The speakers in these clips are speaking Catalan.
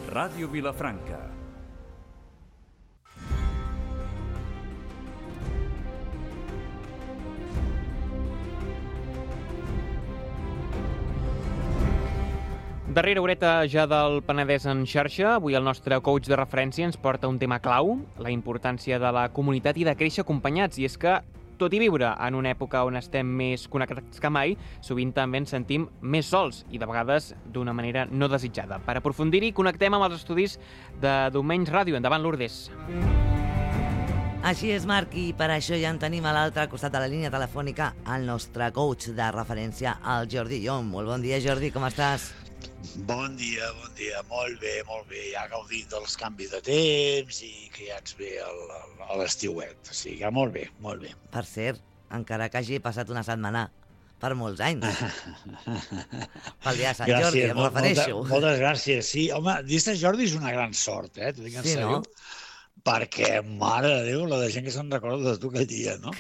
Ràdio Vilafranca. Darrera horeta ja del Penedès en xarxa, avui el nostre coach de referència ens porta un tema clau, la importància de la comunitat i de créixer acompanyats. I és que, tot i viure en una època on estem més connectats que mai, sovint també ens sentim més sols i de vegades d'una manera no desitjada. Per aprofundir-hi, connectem amb els estudis de Domenys Ràdio. Endavant, Lourdes. Així és, Marc, i per això ja en tenim a l'altre costat de la línia telefònica el nostre coach de referència, el Jordi Llom. Molt bon dia, Jordi, com estàs? Bon dia, molt bé, ja gaudint dels canvis de temps i que ja ens ve a l'estiuet, o sigui que molt bé. Per cert, encara que hagi passat una setmana, per molts anys. Pel dia de Sant Jordi, em refereixo. Moltes gràcies, sí. Home, dir Sant Jordi és una gran sort, t'ho dic en sèrio. No? Perquè, mare de Déu, la de gent que se'n recorda de tu aquell dia, no?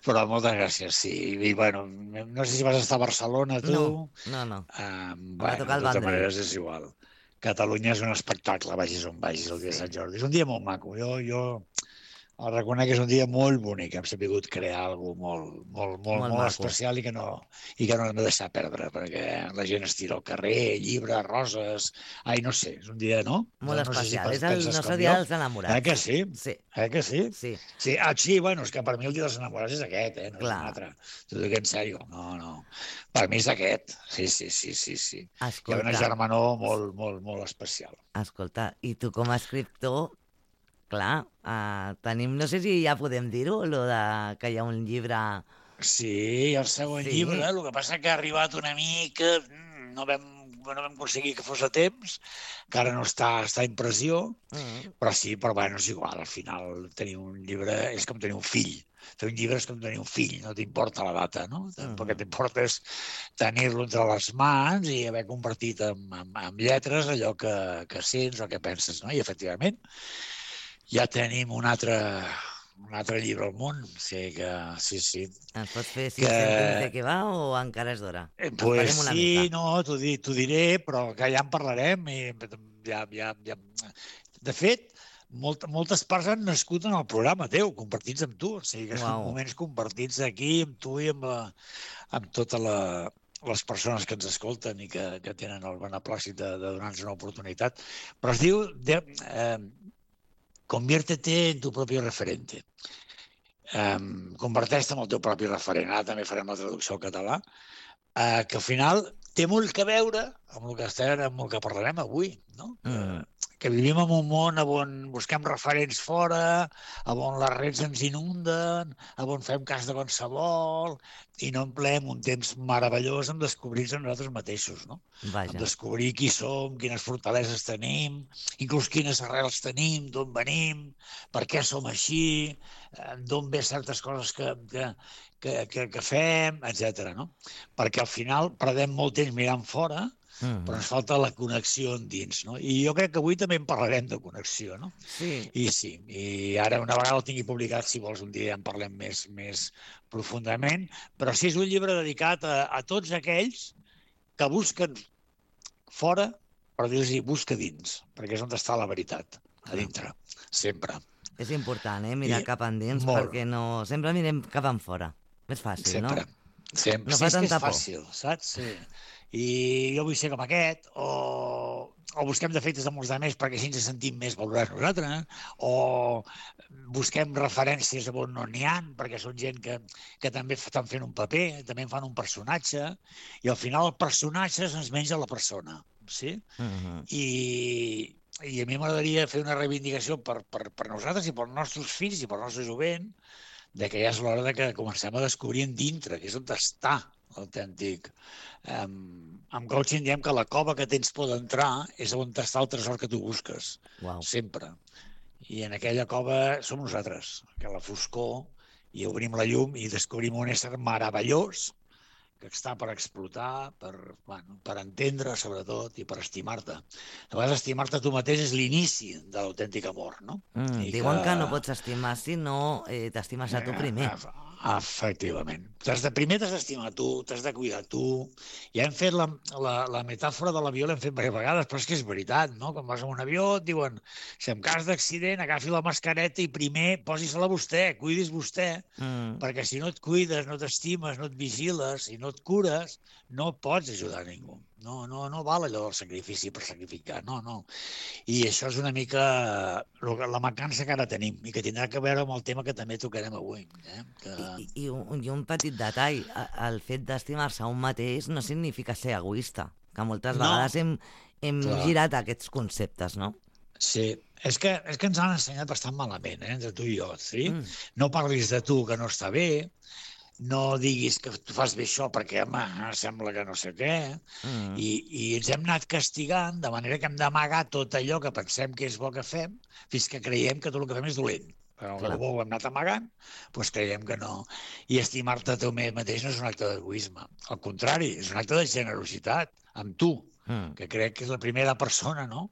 Però moltes gràcies, sí. I, bueno, no sé si vas estar a Barcelona, tu. No. Bueno, de totes maneres és igual. Catalunya és un espectacle, vagis on vagis el dia de Sant Jordi. És un dia molt maco. Jo el reconec que és un dia molt bonic. Hem sabut crear alguna cosa molt especial i que no hem de deixar perdre, perquè la gent es tira al carrer, llibres, roses... Ai, no sé, és un dia, no? Molt especial. És el nostre dia dels enamorats. Que sí? Sí. Que sí? Sí. Sí, bueno, és que per mi el dia dels enamorats és aquest, no és un altre. T'ho dic en sèrio. No. Per mi és aquest. Sí. Escolta. Hi ha una germanor molt especial. Escolta, i tu com a escriptor, clar, tenim, no sé si ja podem dir-ho, que hi ha un llibre... Sí, el següent llibre, el que passa que ha arribat una mica, no vam aconseguir que fos a temps, que ara no està a impressió, però bueno, és igual, al final tenir un llibre és com tenir un fill. Fer un llibre és com tenir un fill, no t'importa la data, no? El que t'importa és tenir-lo entre les mans i haver convertit en lletres allò que sents o que penses, no? I efectivament, ja tenim un altre llibre al món, o sigui que sí. Ens pots fer 5 cèntims de què va o encara és d'hora? Pues sí, no, t'ho diré, però que ja en parlarem. De fet, moltes parts han nascut en el programa teu, compartits amb tu, o sigui que són moments compartits aquí amb tu i amb totes les persones que ens escolten i que tenen el beneplàcit de donar-nos una oportunitat. Però es diu... Conviértete en tu propi referente. Converteix-te en el teu propi referent. Ara també farem la traducció al català, que al final té molt que veure amb el que parlarem avui, no? Que vivim en un món on busquem referents fora, on les redes ens inunden, on fem cas de qualsevol, i no empleem un temps meravellós en descobrir-nos a nosaltres mateixos, no? En descobrir qui som, quines fortaleses tenim, inclús quines arrels tenim, d'on venim, per què som així, d'on ve certes coses que fem, etc. No? Perquè al final perdem molt temps mirant fora, però ens falta la connexió endins, no? I jo crec que avui també en parlarem de connexió, no? Sí. I ara una vegada el tingui publicat, si vols un dia ja en parlem més profundament, però sí, és un llibre dedicat a tots aquells que busquen fora, però dir-los busca dins, perquè és on està la veritat, a dintre, sempre. És important, mirar cap endins, perquè no... Sempre mirem cap en fora. És fàcil, no? Sempre. No fa tanta por. És fàcil, saps? Sí. I jo vull ser com aquest, o busquem defectes de molts altres perquè així ens sentim més valorats nosaltres, o busquem referències on no n'hi ha, perquè són gent que també estan fent un paper, també en fan un personatge, i al final el personatge se'ns menja la persona, sí? I a mi m'agradaria fer una reivindicació per nosaltres i pels nostres fills i pel nostre jovent, de que ja és l'hora de que comencem a descobrir en dintre, que és on està l'autèntic. Amb coaching diem que la cova que tens por d'entrar és on està el tresor que tu busques, sempre. I en aquella cova som nosaltres, que a la foscor i obrim la llum i descobrim un ésser meravellós que està per explotar, per entendre, sobretot, i per estimar-te. A vegades estimar-te tu mateix és l'inici de l'autèntic amor, no? Diuen que no pots estimar si no t'estimes a tu primer. Efectivament. Primer t'has d'estimar tu, t'has de cuidar tu. Ja hem fet la metàfora de l'avió, l'hem fet diverses vegades, però és que és veritat, no? Quan vas en un avió et diuen si en cas d'accident agafi la mascareta i primer posi-se-la vostè, cuidis vostè, perquè si no et cuides, no t'estimes, no et vigiles i no et cures, no pots ajudar a ningú. No val allò del sacrifici per sacrificar, no. I això és una mica la mancança que ara tenim i que tindrà que veure amb el tema que també tocarem avui. I un petit detall, el fet d'estimar-se a un mateix no significa ser egoista, que moltes vegades hem girat aquests conceptes, no? Sí, és que ens han ensenyat bastant malament, entre tu i jo, sí? No parlis de tu, que no està bé, no diguis que tu fas bé això perquè, home, sembla que no sé què, i ens hem anat castigant de manera que hem d'amagar tot allò que pensem que és bo que fem fins que creiem que tot el que fem és dolent. Però el bo ho hem anat amagant, doncs creiem que no. I estimar-te a tu mateix no és un acte d'egoisme. Al contrari, és un acte de generositat amb tu, que crec que és la primera persona, no?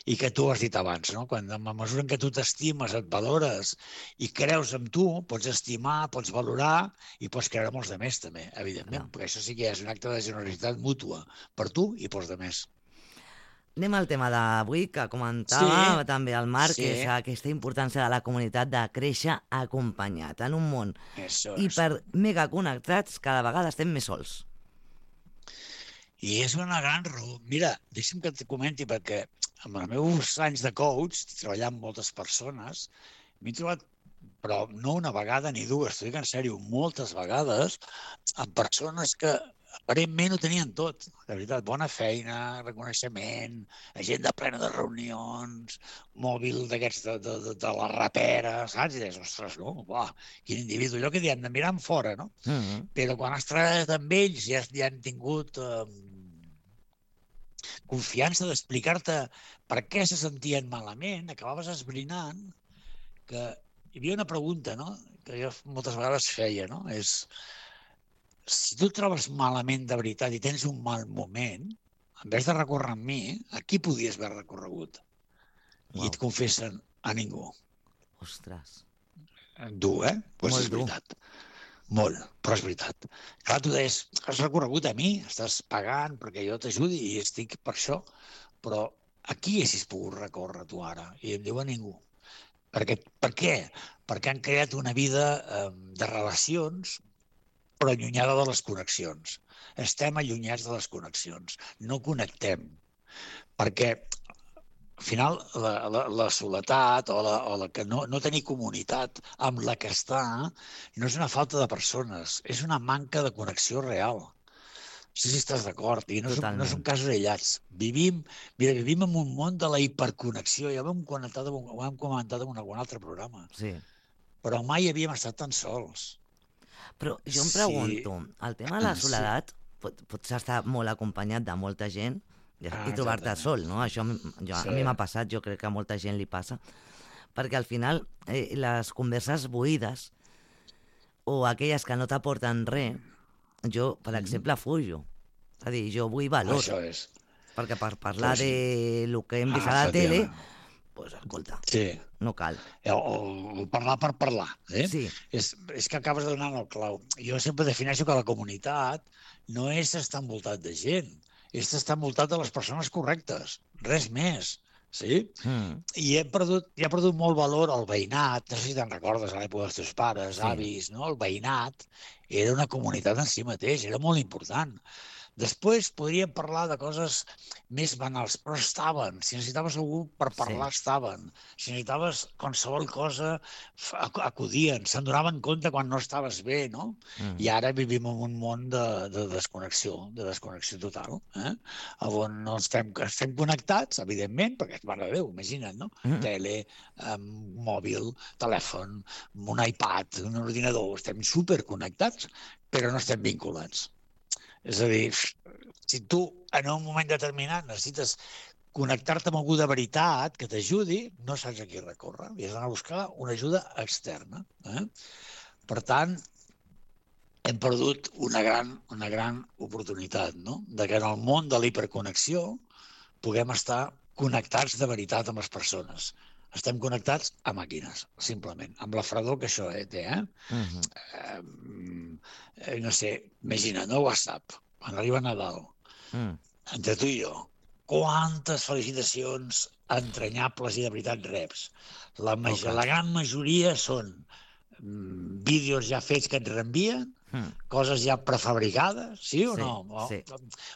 I que tu has dit abans, no? Quan, a mesura en què tu t'estimes, et valores i creus en tu, pots estimar, pots valorar i pots creure en els altres també, evidentment, perquè això sí que és un acte de generositat mútua per tu i pels altres. Anem al tema d'avui, que comentava també el Marc, que és aquesta importància de la comunitat de créixer acompanyat en un món hipermegaconnectats, cada vegada estem més sols. I és una gran raó. Mira, deixa'm que et comenti, perquè amb els meus anys de coach, treballant amb moltes persones, m'he trobat, però no una vegada ni dues, t'ho dic en sèrio, moltes vegades, amb persones que aparentment ho tenien tot, de veritat, bona feina, reconeixement, agenda plena de reunions, mòbil d'aquests de la rapera, saps? I deies, ostres, no, uah, quin individu, allò que diem de mirar fora, no? Però quan has treballat amb ells ja han tingut confiança d'explicar-te per què se sentien malament, acabaves esbrinant que hi havia una pregunta, no?, que jo moltes vegades feia, no?, és si tu et trobes malament de veritat i tens un mal moment, en vez de recórrer amb mi, a qui podies haver recorregut? I et confessen a ningú. Ostres. Dur, Doncs és veritat. Molt, però és veritat. Clar, tu deies, has recorregut a mi, estàs pagant perquè jo t'ajudi i estic per això, però a qui haguessis pogut recórrer tu ara? I em diu a ningú. Per què? Perquè han creat una vida de relacions, però allunyada de les connexions. Estem allunyats de les connexions, no connectem. Perquè al final, la soledat o la que no tenir comunitat amb la que està no és una falta de persones, és una manca de connexió real. No sé si estàs d'acord, i no són casos aïllats. Vivim en un món de la hiperconnexió, ja ho hem comentat en algun altre programa. Sí. Però mai havíem estat tan sols. Però jo em pregunto, el tema de la soledat pots estar molt acompanyat de molta gent i trobar-te sol, no? Això a mi m'ha passat, jo crec que a molta gent li passa, perquè al final les converses buides o aquelles que no t'aporten res, jo, per exemple, fujo. És a dir, jo vull valor. Això és. Perquè per parlar de lo que hem vist a la tele, doncs, escolta, no cal. O parlar per parlar, Sí. És que acabes de donar el clau. Jo sempre defineixo que la comunitat no és estar envoltat de gent, és estar envoltat de les persones correctes, res més, sí? I ha perdut molt valor el veïnat, no sé si te'n recordes a l'època dels teus pares, avis, no? El veïnat era una comunitat en si mateix, era molt important. Després podríem parlar de coses més banals, però estaven. Si necessitaves algú per parlar, estaven. Si necessitaves qualsevol cosa, acudien. Se'n donaven compte quan no estaves bé, no? I ara vivim en un món de desconnexió total, on no estem connectats, evidentment, perquè, mare de Déu, imagina't, no? Tele, mòbil, telèfon, un iPad, un ordinador, estem superconnectats, però no estem vinculats. És a dir, si tu en un moment determinat necessites connectar-te amb algú de veritat que t'ajudi, no saps a qui recórrer i has d'anar a buscar una ajuda externa. Per tant, hem perdut una gran oportunitat, no? De que en el món de l'hiperconnexió puguem estar connectats de veritat amb les persones, Estem connectats a màquines, simplement, amb la fredor que això té, no sé, imagina't, no WhatsApp, quan arriba Nadal, entre tu i jo, quantes felicitacions entranyables i de veritat reps. La gran majoria són vídeos ja fets que et reenvien, coses ja prefabricades, sí o no? Sí.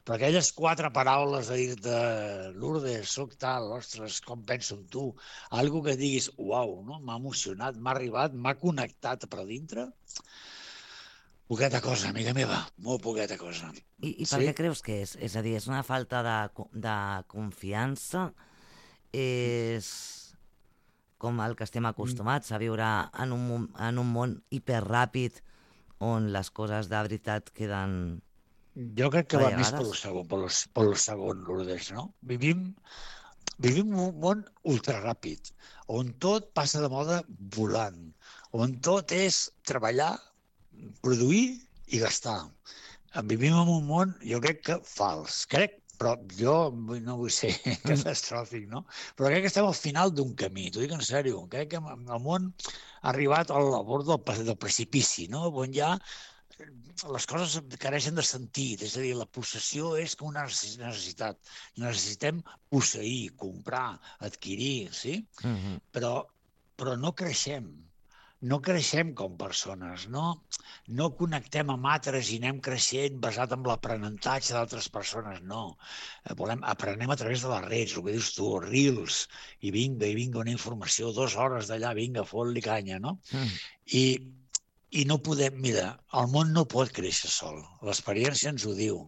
Però aquelles 4 paraules de dir-te Lourdes, soc tal, ostres, com penso en tu, algo que diguis, uau, no? M'ha emocionat, m'ha arribat, m'ha connectat per dintre. Poqueta cosa, amiga meva, molt poqueta cosa. I per què creus que és? És a dir, és una falta de confiança? És com el que estem acostumats a viure en un món hiperràpid on les coses de veritat queden... Jo crec que va més per lo segon, Lourdes, no? Vivim un món ultraràpid, on tot passa de moda volant, on tot és treballar, produir i gastar. Vivim en un món, jo crec que fals. Però jo no vull ser catastròfic, no? Però crec que estem al final d'un camí, t'ho dic en sèrio. Crec que el món ha arribat al bord del precipici, no? On ja les coses careixen de sentit, és a dir, la possessió és com una necessitat. Necessitem posseir, comprar, adquirir, sí? Però no creixem. No creixem com persones, no connectem amb altres i anem creixent basat en l'aprenentatge d'altres persones, no. Aprenem a través de les redes, el que dius tu, reels, i vinga una informació, 2 hores d'allà, vinga, fot-li canya, no? I no podem, mira, el món no pot créixer sol, l'experiència ens ho diu.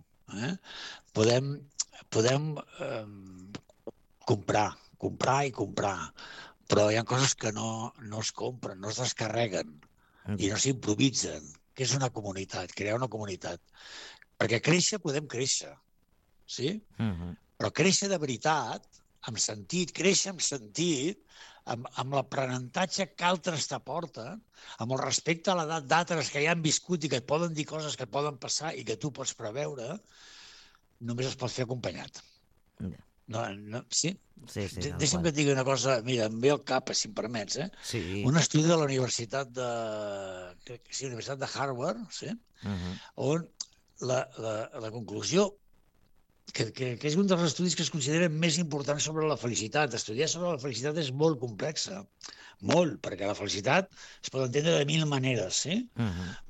Podem comprar i comprar, però hi ha coses que no es compren, no es descarreguen i no s'improvisen. Què és una comunitat? Crear una comunitat. Perquè créixer podem créixer, sí? Però créixer de veritat, amb sentit, créixer amb sentit, amb l'aprenentatge que altres t'aporten, amb el respecte a l'edat d'altres que ja han viscut i que et poden dir coses que et poden passar i que tu pots preveure, només es pot fer acompanyat. Sí? Deixa'm que et digui una cosa, mira, em ve al cap, si em permets, un estudi de la Universitat de Harvard, on la conclusió, que és un dels estudis que es consideren més importants sobre la felicitat. Estudiar sobre la felicitat és molt complexa, molt, perquè la felicitat es pot entendre de 1000 maneres,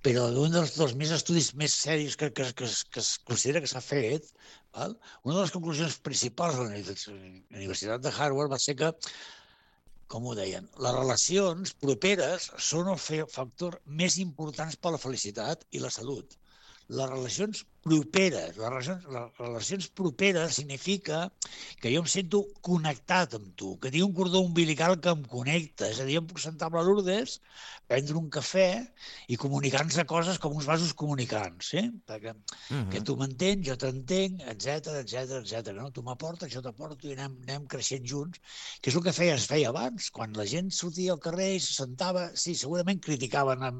però un dels estudis més serios que es considera que s'ha fet, una de les conclusions principals de la Universitat de Harvard va ser que, com ho deien, les relacions properes són el factor més important per a la felicitat i la salut. Les relacions properes significa que jo em sento connectat amb tu, que tinc un cordó umbilical que em connecta. És a dir, em puc sentar amb la Lourdes, prendre un cafè i comunicar-nos de coses com uns vasos comunicants, perquè que tu m'entens, jo t'entenc, etc. No? Tu m'aportes, jo t'aporto i anem creixent junts, que és el que es feia abans, quan la gent sortia al carrer i se sentava, sí, segurament criticaven a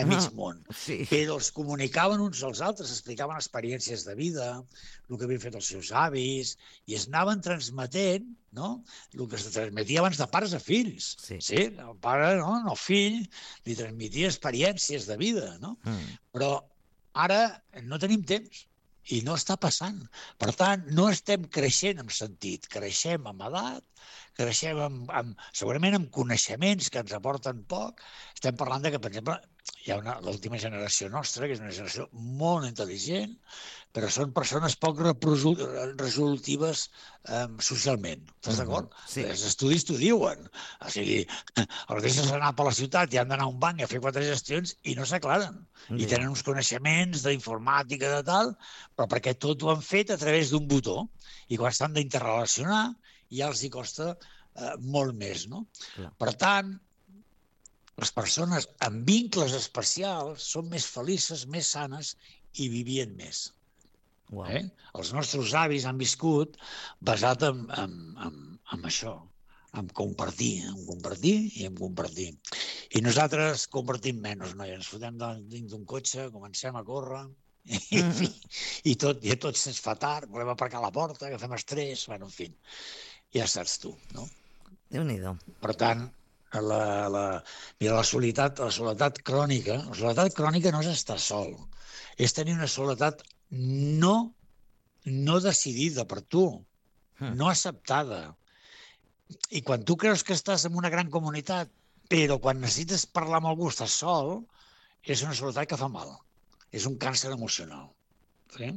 mig món, però els comunicaven uns als altres, explicaven experiències de vida, el que havien fet els seus avis, i es anaven transmetent, no?, el que es transmetia abans de pares a fills. Sí, el pare, el fill, li transmetia experiències de vida, no? Però ara no tenim temps i no està passant. Per tant, no estem creixent en sentit, creixem amb edat, creixem segurament amb coneixements que ens aporten poc. Estem parlant que, per exemple, hi ha l'última generació nostra, que és una generació molt intel·ligent, però són persones poc resolutives socialment. Estàs d'acord? Els estudis t'ho diuen. O sigui, els deixes anar per la ciutat i han d'anar a un banc a fer 4 gestions i no s'aclaren. I tenen uns coneixements d'informàtica de tal, però perquè tot ho han fet a través d'un botó. I quan s'han d'interrelacionar ja els hi costa molt més, no? Per tant, les persones amb vincles especials són més felices, més sanes i vivien més. Els nostres avis han viscut basat en això, en compartir i en compartir. I nosaltres compartim menys, no? Ens fotem dins d'un cotxe, comencem a córrer i tot se'ns fa tard, volem aparcar a la porta, agafem estrès, en fi, ja saps tu, no? Déu-n'hi-do. Per tant, mira, la soledat crònica no és estar sol, és tenir una soledat no decidida per tu, no acceptada. I quan tu creus que estàs en una gran comunitat, però quan necessites parlar amb algú estàs sol, és una soledat que fa mal. És un càncer emocional. Sí?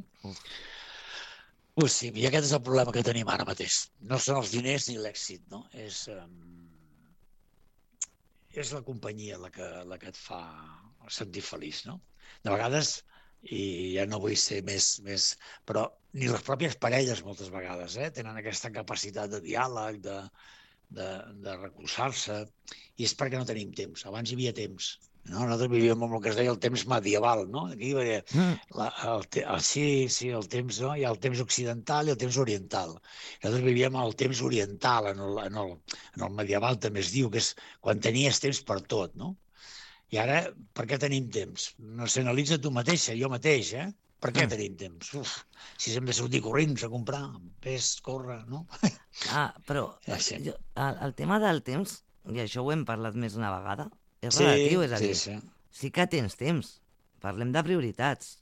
Pues sí, i aquest és el problema que tenim ara mateix. No són els diners ni l'èxit, no? És la companyia la que et fa sentir feliç, no? De vegades, i ja no vull ser més, però ni les pròpies parelles moltes vegades tenen aquesta capacitat de diàleg, de recolzar-se, i és perquè no tenim temps. Abans hi havia temps. No? Nosaltres vivíem amb el que es deia el temps medieval, no? Aquí hi havia el temps, no? Hi ha el temps occidental i el temps oriental. Nosaltres vivíem el temps oriental, en el medieval també es diu, que és quan tenies temps per tot, no? I ara, per què tenim temps? No s'analitza tu mateixa, jo mateix, Per què tenim temps? Si hem de sortir corrents a comprar, córrer, no? Però Sí. el tema del temps, i això ho hem parlat més una vegada, és relatiu, és a dir, sí que tens temps. Parlem de prioritats.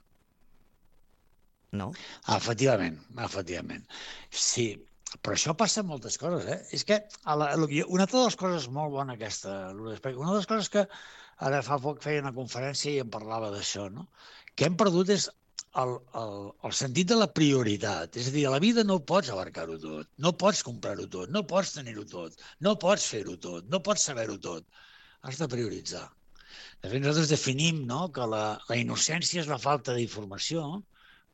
No? Efectivament. Sí, però això passa en moltes coses, És que una de les coses molt bona aquesta, una de les coses que ara fa poc feia una conferència i em parlava d'això, no? Que hem perdut és el sentit de la prioritat. És a dir, a la vida no pots abarcar-ho tot, no pots comprar-ho tot, no pots tenir-ho tot, no pots fer-ho tot, no pots saber-ho tot. Has de prioritzar. De fet, nosaltres definim que la innocència és la falta d'informació,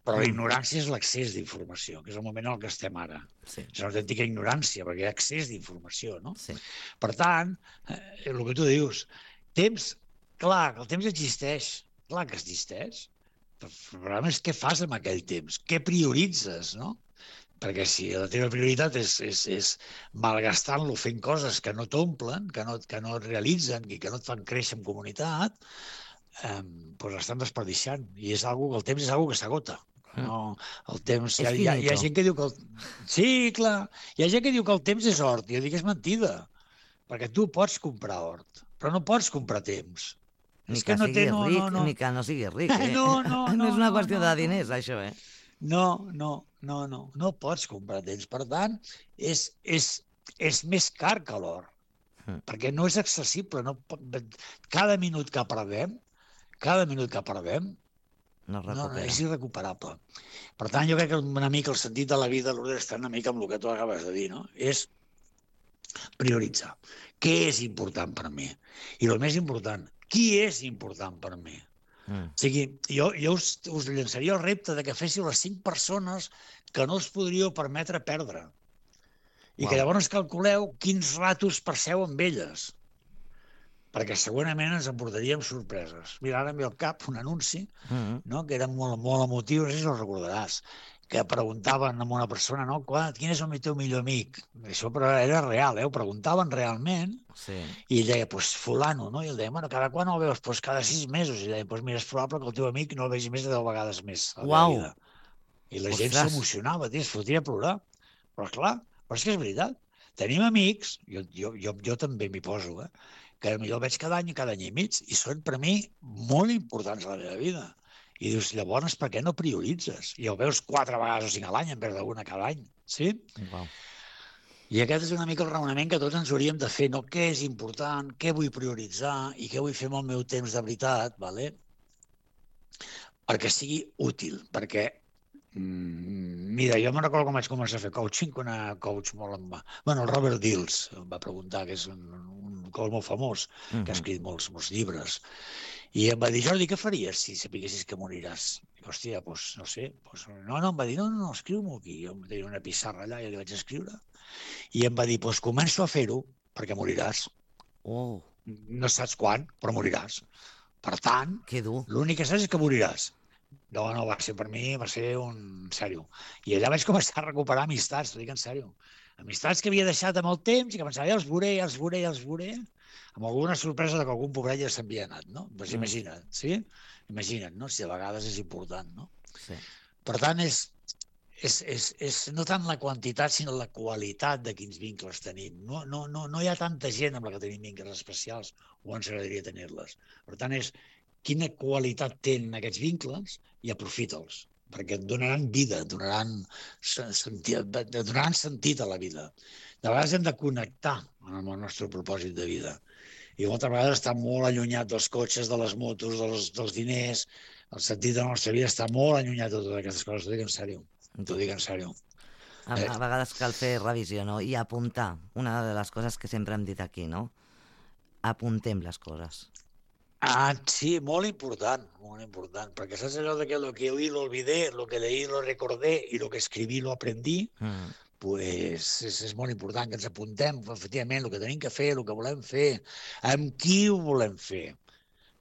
però la ignorància és l'accés d'informació, que és el moment en què estem ara. Sí. És una autèntica ignorància, perquè hi ha accés d'informació, no? Sí. Per tant, el que tu dius, temps, clar, el temps existeix, clar que existeix. El problema és què fas amb aquell temps, què prioritzes, no? Perquè si la teva prioritat és malgastant-lo fent coses que no t'omplen, que no et realitzen i que no et fan créixer en comunitat, doncs l'estan desperdiciant. I és algo, el temps és algo que s'agota. No, el temps... Hi ha gent que diu que... Sí, clar. Hi ha gent que diu que el temps és hort. Jo dic que és mentida. Perquè tu pots comprar hort, però no pots comprar temps. Ni que sigui ric, ni que no sigui ric. No és una qüestió de diners, això, No pots comprar temps. Per tant, és més car que l'or, perquè no és accessible. Cada minut que perdem no és irrecuperable. Per tant, jo crec que una mica el sentit de la vida, Lourdes, està una mica amb el que tu acabes de dir, no? És prioritzar. Què és important per mi? I el més important, qui és important per mi? O sigui, jo us llançaria el repte de que féssiu les 5 persones que no us podríeu permetre perdre. I que llavors calculeu quins ratos passeu amb elles. Perquè segurament ens emportaríem sorpreses. Mira, ara em ve al cap un anunci que era molt emotiu, no sé si el recordaràs, que preguntaven a una persona, quin és el teu millor amic? Això però era real, ho preguntaven realment, i ell deia, fulano, no? I ell deia, cada quan el veus? Cada 6 mesos. I ell deia, mira, és probable que el teu amic no el vegi més de 10 vegades més a la vida. I la gent s'emocionava, es fotia a plorar. Però clar, però és que és veritat. Tenim amics, jo també m'hi poso, que potser el veig cada any i mig, i són per mi molt importants a la meva vida. I dius, llavors, per què no prioritzes? I el veus 4 vegades o 5 a l'any en vez d'una cada any, sí? I aquest és una mica el raonament que tots ens hauríem de fer, no? Què és important, què vull prioritzar i què vull fer amb el meu temps de veritat, perquè sigui útil, perquè mira, jo me'n recordo com vaig començar a fer coaching, quan era coach molt amb... Bueno, el Robert Dills em va preguntar, que és un coach molt famós, que ha escrit molts llibres, i em va dir, Jordi, què faries si sapiguessis que moriràs? I, hòstia, no sé. No, em va dir, no, escriu-m'ho aquí. Jo tenia una pissarra allà i li vaig escriure. I em va dir, començo a fer-ho perquè moriràs. No saps quan, però moriràs. Per tant, l'únic que saps és que moriràs. No, va ser per mi, va ser un sèrio. I allà vaig començar a recuperar amistats, t'ho dic en sèrio. Amistats que havia deixat amb el temps i que pensava, els veuré, amb alguna sorpresa que algun pobret ja s'havia anat, no? Doncs imagina't, sí? Imagina't, no? Si a vegades és important, no? Sí. Per tant, és és no tant la quantitat, sinó la qualitat de quins vincles tenim. No hi ha tanta gent amb la que tenim vincles especials, o ens agradaria tenir-les. Per tant, és quina qualitat tenen aquests vincles i aprofita'ls, perquè et donaran vida, donaran sentit a la vida. De vegades hem de connectar amb el nostre propòsit de vida. I moltes vegades està molt allunyat dels cotxes, de les motos, dels diners. El sentit de la nostra vida està molt allunyat de totes aquestes coses. T'ho dic en sèrio. T'ho dic en sèrio. A vegades cal fer revisió, no? I apuntar. Una de les coses que sempre hem dit aquí, no? Apuntem les coses. Sí, molt important, perquè saps allò de que lo que oí lo olvidé, lo que leí lo recordé y lo que escribí lo aprendí, pues és molt important que ens apuntem efectivament el que tenim que fer, el que volem fer, amb qui ho volem fer,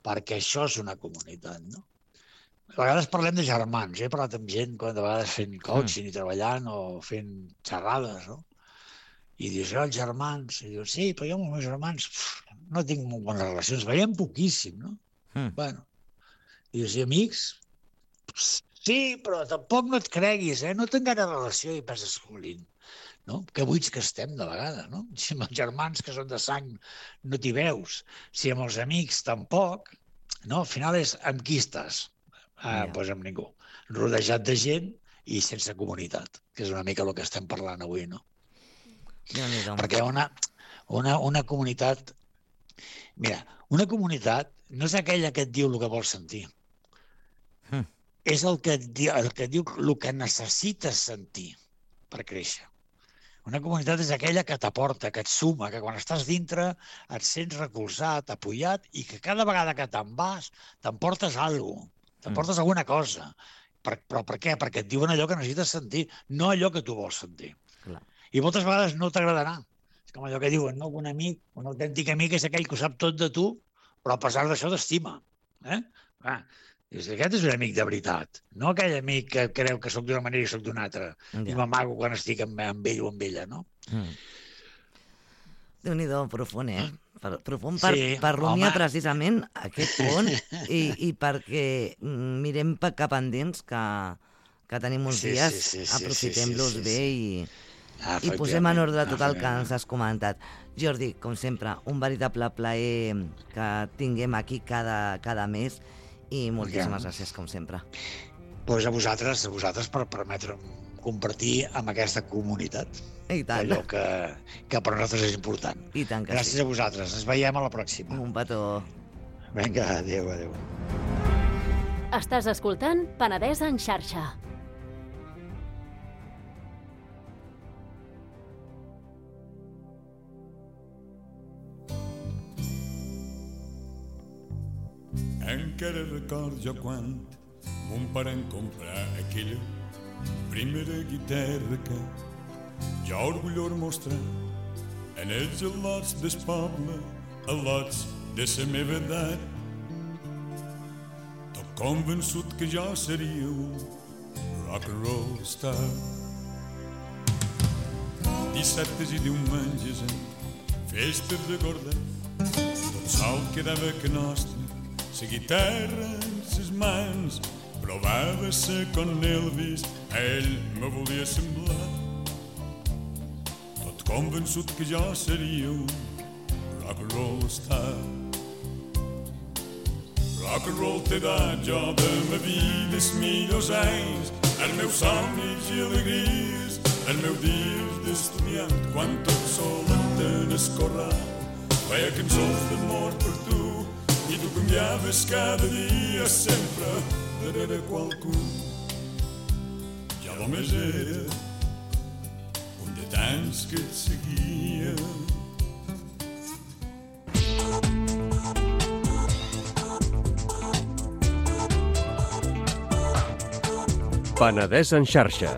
perquè això és una comunitat, no? A vegades parlem de germans, he parlat amb gent de vegades fent coaching i treballant o fent xerrades, no? I dius, els germans, i dius, sí, però jo amb els meus germans no tinc molt bones relacions, veiem poquíssim, no? Bueno, i dius, i amics? Sí, però tampoc no et creguis, no tinc gaire relació i penses, escolint, no? Que buits que estem de vegades, no? Si amb els germans que són de sang no t'hi veus, si amb els amics tampoc, no? Al final és amb qui estàs? Doncs amb ningú. Rodejat de gent i sense comunitat, que és una mica el que estem parlant avui, no? Perquè una comunitat... Mira, una comunitat no és aquella que et diu el que vols sentir. És el que diu el que necessites sentir per créixer. Una comunitat és aquella que t'aporta, que et suma, que quan estàs dintre et sents recolzat, apoyat i que cada vegada que te'n vas t'emportes alguna cosa, t'emportes alguna cosa. Però per què? Perquè et diuen allò que necessites sentir, no allò que tu vols sentir. I moltes vegades no t'agradarà. És com allò que diuen, no? Un amic, un autèntic amic és aquell que ho sap tot de tu, però a pesar d'això t'estima. Aquest és un amic de veritat, no aquell amic que creu que soc d'una manera i soc d'una altra, i m'amago quan estic amb ell o amb ella, no? Déu-n'hi-do, profund, Profund per rumiar precisament aquest pont i perquè mirem cap endins, que tenim uns dies, aprofitem-los bé i posem en ordre tot el que ens has comentat. Jordi, com sempre, un veritable plaer que tinguem aquí cada mes i moltíssimes gràcies, com sempre. Doncs a vosaltres per permetre'm compartir amb aquesta comunitat allò que per nosaltres és important. I tant que gràcies a vosaltres. Ens veiem a la pròxima. Un petó. Vinga, adéu. Estàs escoltant Penedès en xarxa. Encara record jo quan mon pare em comprar aquella primera guitarra que jo orgullós mostrar en els al·lots del poble, al·lots de la meva edat. Tot convençut que jo seria un rock and roll star. Dissabtes i diumenges en festes de gorda, tot sol quedava que nostre, la guitarra en ses mans, provava-se con Elvis, ell me volia semblar. Tot convençut que jo seria un rock and roll star. Rock and roll t'he dat jo de ma vida els millors anys, els meus somnis i alegries, els meus dies d'estudiant, quan tot sol en el corral feia cançons d'amor per tu. I tu canviaves cada dia sempre darrere qualcú. Jo només era un de tants que et seguia. Penedès en xarxa.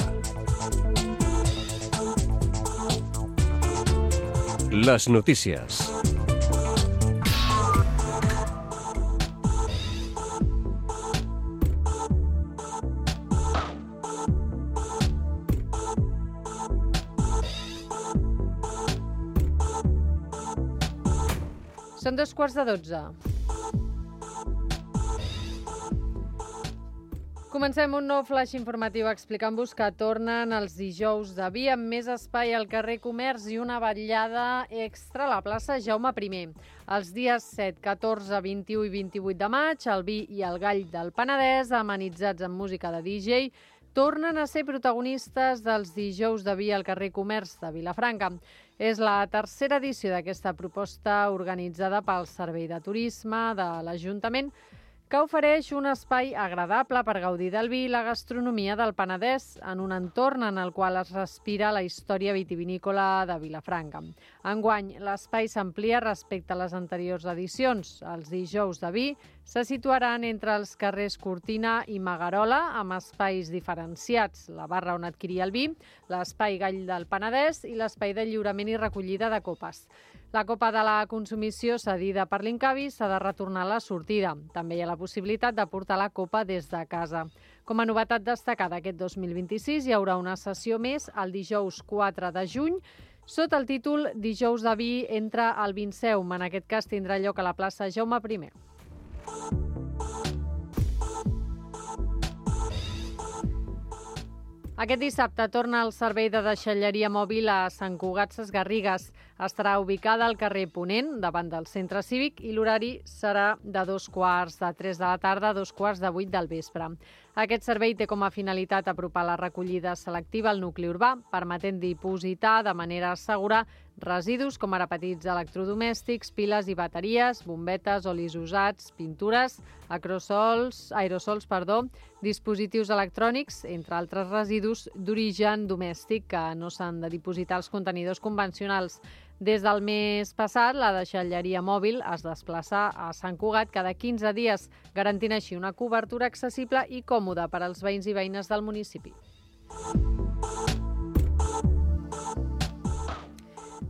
Les notícies. Són 2:15. Comencem un nou flash informatiu explicant-vos que tornen els dijous de vi amb més espai al carrer Comerç i una vetllada extra a la plaça Jaume I. Els dies 7, 14, 21 i 28 de maig, el vi i el gall del Penedès, amenitzats amb música de DJ, tornen a ser protagonistes dels dijous de vi al carrer Comerç de Vilafranca. És la tercera edició d'aquesta proposta organitzada pel Servei de Turisme de l'Ajuntament, que ofereix un espai agradable per gaudir del vi i la gastronomia del Penedès en un entorn en el qual es respira la història vitivinícola de Vilafranca. Enguany, l'espai s'amplia respecte a les anteriors edicions. Els dijous de vi se situaran entre els carrers Cortina i Magarola, amb espais diferenciats, la barra on adquirir el vi, l'espai Gall del Penedès i l'espai de lliurament i recollida de copes. La copa de la consumició cedida per l'Incavi s'ha de retornar a la sortida. També hi ha la possibilitat de portar la copa des de casa. Com a novetat destacada aquest 2026 hi haurà una sessió més el dijous 4 de juny, sota el títol Dijous de vi entre el Vinceum. En aquest cas tindrà lloc a la plaça Jaume I. Aquest dissabte torna el servei de deixalleria mòbil a Sant Cugat Sesgarrigues. Estarà ubicada al carrer Ponent, davant del centre cívic, i l'horari serà de 2:15 de la tarda a 2:15 del vespre. Aquest servei té com a finalitat apropar la recollida selectiva al nucli urbà, permetent dipositar de manera segura residus com ara petits electrodomèstics, piles i bateries, bombetes, olis usats, pintures, aerosols, dispositius electrònics, entre altres residus d'origen domèstic que no s'han de dipositar als contenidors convencionals. Des del mes passat, la deixalleria mòbil es desplaça a Sant Cugat cada 15 dies, garantint així una cobertura accessible i còmoda per als veïns i veïnes del municipi.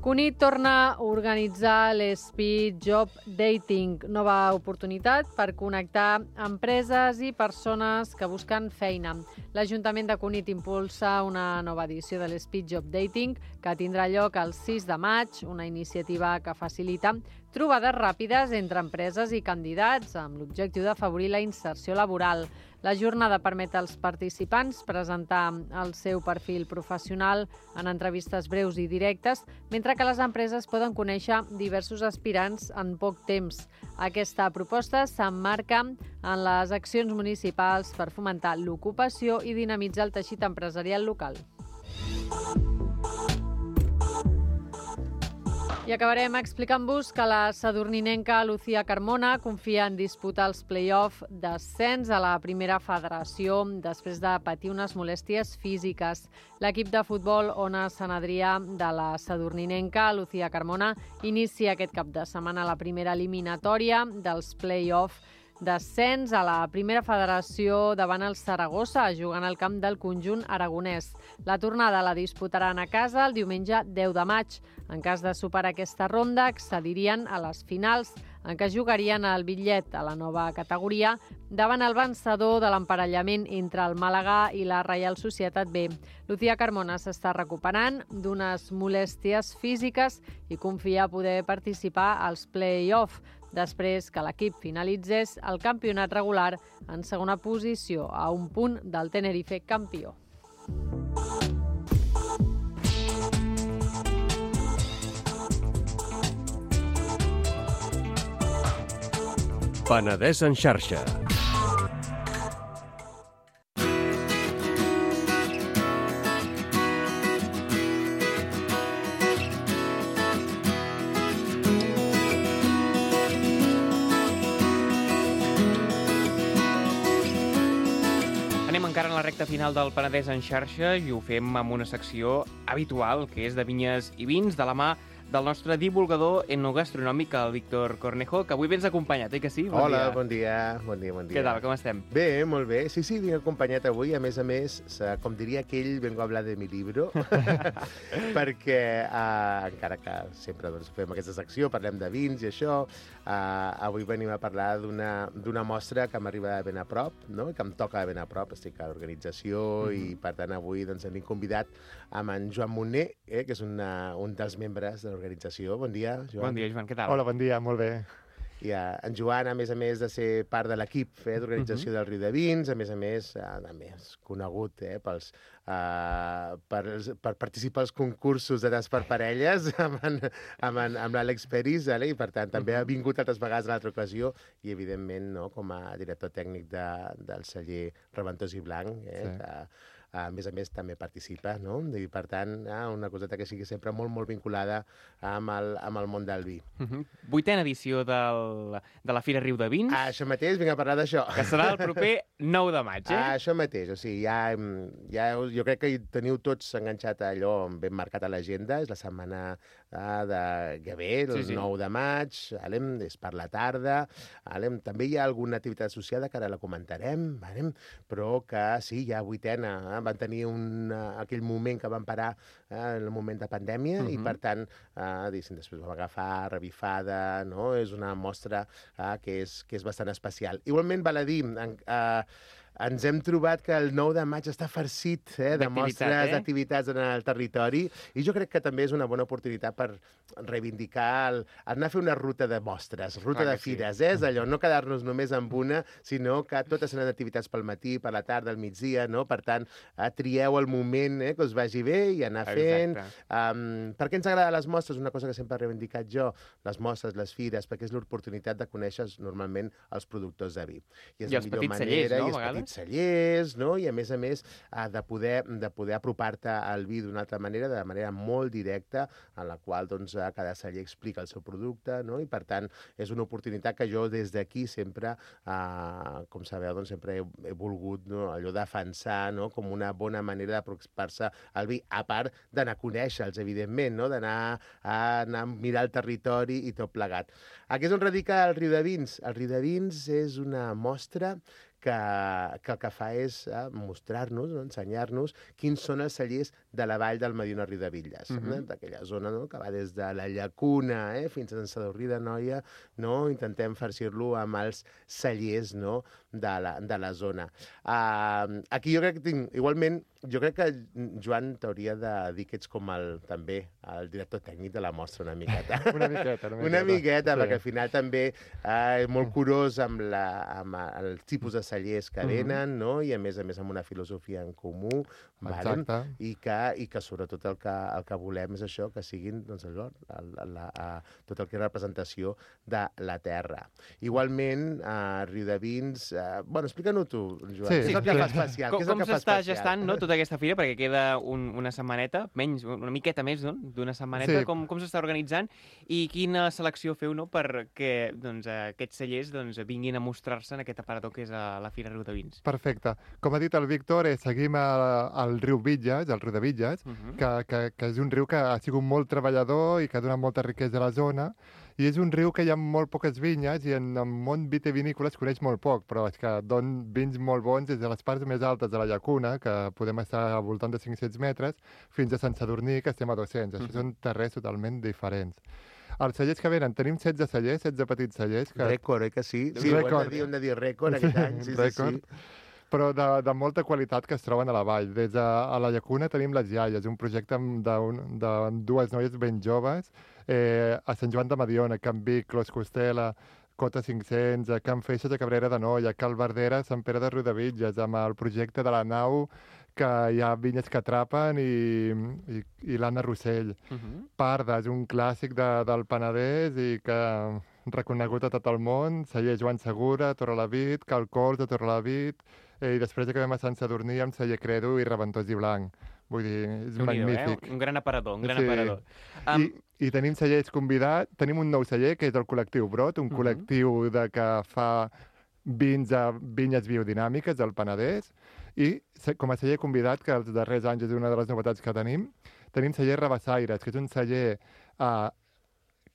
Cunit torna a organitzar l'Speed Job Dating, nova oportunitat per connectar empreses i persones que busquen feina. L'Ajuntament de Cunit impulsa una nova edició de l'Speed Job Dating que tindrà lloc el 6 de maig, una iniciativa que facilita trobades ràpides entre empreses i candidats amb l'objectiu d'afavorir la inserció laboral. La jornada permet als participants presentar el seu perfil professional en entrevistes breus i directes, mentre que les empreses poden conèixer diversos aspirants en poc temps. Aquesta proposta s'emmarca en les accions municipals per fomentar l'ocupació i dinamitzar el teixit empresarial local. I acabarem explicant-vos que la sadurninenca Lucía Carmona confia en disputar els play-off d'ascens a la primera federació després de patir unes molèsties físiques. L'equip de futbol Ona Sant Adrià de la sadurninenca Lucía Carmona inicia aquest cap de setmana la primera eliminatòria dels play-off d'ascens a la primera federació davant el Saragossa, jugant al camp del conjunt aragonès. La tornada la disputaran a casa el diumenge 10 de maig. En cas de superar aquesta ronda, accedirien a les finals, en què jugarien el bitllet a la nova categoria davant el vencedor de l'emparellament entre el Màlaga i la Reial Societat B. Lucía Carmona s'està recuperant d'unes molèsties físiques i confia poder participar als play-off, després que l'equip finalitzés el campionat regular en segona posició, a un punt del Tenerife campió. Penedès en xarxa. Anem encara en la recta final del Penedès en xarxa i ho fem amb una secció habitual, que és de vinyes i vins, de la mà del nostre divulgador etnogastronòmic, el Víctor Cornejo, que avui vens acompanyat, que sí? Hola, bon dia. Què tal, com estem? Bé, molt bé. Sí, vinc acompanyat avui. A més, com diria aquell, vengo a hablar de mi libro, perquè encara que sempre fem aquesta secció, parlem de vins i això, avui venim a parlar d'una mostra que m'arriba ben a prop, no? Que em toca ben a prop, estic a l'organització i, per tant, avui ens hem convidat amb en Joan Moner, que és un dels membres de l'organització. Bon dia, Joan. Bon dia, Joan, què tal? Hola, bon dia, molt bé. en Joan, a més de ser part de l'equip d'organització del Riu de Vins, a més, també és conegut per participar als concursos de tas per parelles amb l'Àlex Peris, i per tant també ha vingut altres vegades a l'altra ocasió i, evidentment, no, com a director tècnic del celler Reventós i Blanc, que a més també participa, no? I per tant, una coseta que sigui sempre molt, molt vinculada amb el món del vi. 8a edició de la Fira Riu de Vins. Això mateix, vinc a parlar d'això. Que serà el proper 9 de maig, Això mateix, o sigui, jo crec que hi teniu tots enganxat allò ben marcat a l'agenda, és la setmana de Gavé, el 9 de maig, és per la tarda, també hi ha alguna activitat associada que ara la comentarem, però que sí, hi ha 8a, van tenir aquell moment que van parar en el moment de pandèmia i, per tant, després vam agafar revifada, no? És una mostra que és bastant especial. Igualment, val a dir, ens hem trobat que el 9 de maig està farcit de mostres, d'activitats en el territori, i jo crec que també és una bona oportunitat per reivindicar, anar a fer una ruta de mostres, ruta de fires, és allò, no quedar-nos només amb una, sinó que totes seran activitats pel matí, per la tarda, al migdia, no? Per tant, trieu el moment que us vagi bé i anar fent. Per què ens agraden les mostres? Una cosa que sempre he reivindicat jo, les mostres, les fires, perquè és l'oportunitat de conèixer normalment els productors de vi. I els petits cellers, no? I els petits cellers, no? I a més, de poder apropar-te al vi d'una altra manera, de manera molt directa, en la qual cada celler explica el seu producte, no? I per tant és una oportunitat que jo des d'aquí sempre, com sabeu, sempre he volgut allò defensar com una bona manera d'apropar-se al vi, a part d'anar a conèixer-los, evidentment, d'anar a mirar el territori i tot plegat. A què és on radica el Riu de Vins? El Riu de Vins és una mostra que el que fa és mostrar-nos, ensenyar-nos quins són els cellers de la vall del Mediona Riu de Villes, d'aquella zona que va des de la Llacuna fins a Sant Sadurní d'Anoia, intentem farcir-lo amb els cellers de la zona. Aquí jo crec que igualment, jo crec que, Joan, t'hauria de dir que ets com també el director tècnic de la mostra una miqueta. Una miqueta, perquè al final també és molt curós amb el tipus de cellers que venen, i a més amb una filosofia en comú, i que sobretot el que volem és això, que siguin tot el que és representació de la terra. Igualment, Riu de Vins... Bueno, explica-ho tu, Joan. Què és el que fa especial? Com s'està gestant tota aquesta fira? Perquè queda una setmaneta, menys, una miqueta més d'una setmaneta. Com s'està organitzant i quina selecció feu perquè aquests cellers vinguin a mostrar-se en aquest aparador que és la Fira Riu de Vins? Perfecte. Com ha dit el Víctor, seguim el riu Villes, el riu de Villes, que és un riu que ha sigut molt treballador i que ha donat molta riquesa a la zona, i és un riu que hi ha molt poques vinyes i en el món vitivinícola es coneix molt poc, però és que don vins molt bons des de les parts més altes de la Llacuna, que podem estar al voltant de 500 metres, fins a Sant Sadurní, que estem a 200. Això són terres totalment diferents. Els cellers que venen, tenim 16 cellers, 16 petits cellers. Rècord, que sí? Sí, ho hem de dir rècord aquest any. Sí. Però de molta qualitat que es troben a la vall. Des de la Llacuna tenim les Iaies, un projecte de dues noies ben joves, a Sant Joan de Mediona, Can Vic, Clos Costela, Cota 500, a Can Feixes, a Cabrera de Noia, Cal Verdera, Sant Pere de Riudebitlles, amb el projecte de la nau, que hi ha vinyes que atrapen, i l'Anna Rossell. Parda és un clàssic del Penedès i que reconegut a tot el món, celler Joan Segura, Torrelavit, Cal Cors de Torrelavit, i després acabem a Sant Sadurní amb celler Credo i Reventós i Blanc. Vull dir, és magnífic. Un gran aparador, aparador. I tenim cellers convidats, tenim un nou celler, que és el col·lectiu Brot, un col·lectiu que fa vins a vinyes biodinàmiques del Penedès, i com a celler convidat, que els darrers anys és una de les novetats que tenim celler Rabassaires, que és un celler